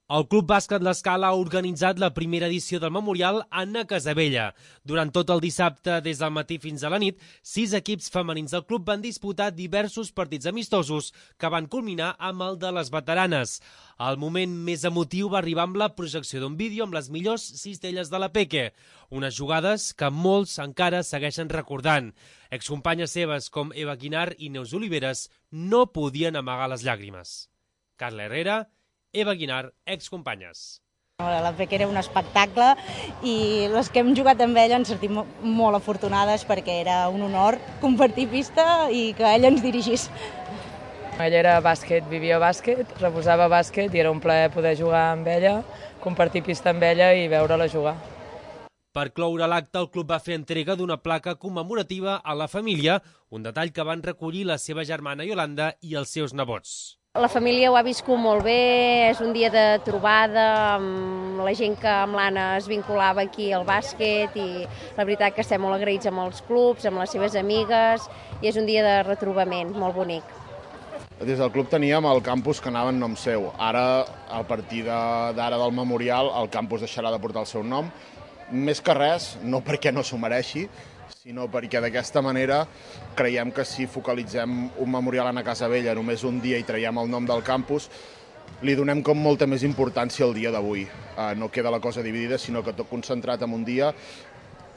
El Club Bàsquet L'Escala ha organitzat la primera edició del Memorial Anna Casabella. Durant tot el dissabte, des del matí fins a la nit, 6 equips femenins del club van disputar diversos partits amistosos que van culminar amb el de les veteranes. El moment més emotiu va arribar amb la projecció d'un vídeo amb les millors cistelles de la Peque, unes jugades que molts encara segueixen recordant. Excompanyes seves com Eva Guinar i Neus Oliveres no podien amagar les llàgrimes. Carla Herrera, Eva Guinar, excompanyes. La Peque era un espectacle i les que hem jugat amb ella ens sentim molt afortunades perquè era un honor compartir pista i que ella ens dirigís. Ella era bàsquet, vivia bàsquet, reposava bàsquet i era un plaer poder jugar amb ella, compartir pista amb ella i veure-la jugar. Per cloure l'acte, el club va fer entrega d'una placa commemorativa a la família, un detall que van recollir la seva germana Iolanda i els seus nebots. La família ho ha viscut molt bé, és un dia de trobada amb la gent que amb l'Anna es vinculava aquí al bàsquet i la veritat que estem molt agraïts amb els clubs, amb les seves amigues i és un dia de retrobament molt bonic. Des del club teníem el campus que anava en nom seu. Ara, a partir d'ara del memorial, el campus deixarà de portar el seu nom. Més que res, no perquè no s'ho mereixi, sinó perquè d'aquesta manera creiem que si focalitzem un memorial a Casabella només un dia i traiem el nom del campus, li donem com molta més importància al dia d'avui. No queda la cosa dividida, sinó que tot concentrat en un dia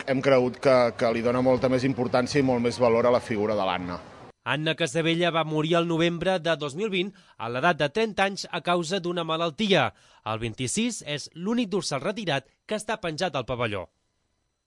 hem cregut que li dona molta més importància i molt més valor a la figura de l'Anna. Anna Casabella va morir el novembre de 2020 a l'edat de 30 anys a causa d'una malaltia. El 26 és l'únic dorsal retirat que està penjat al pavelló.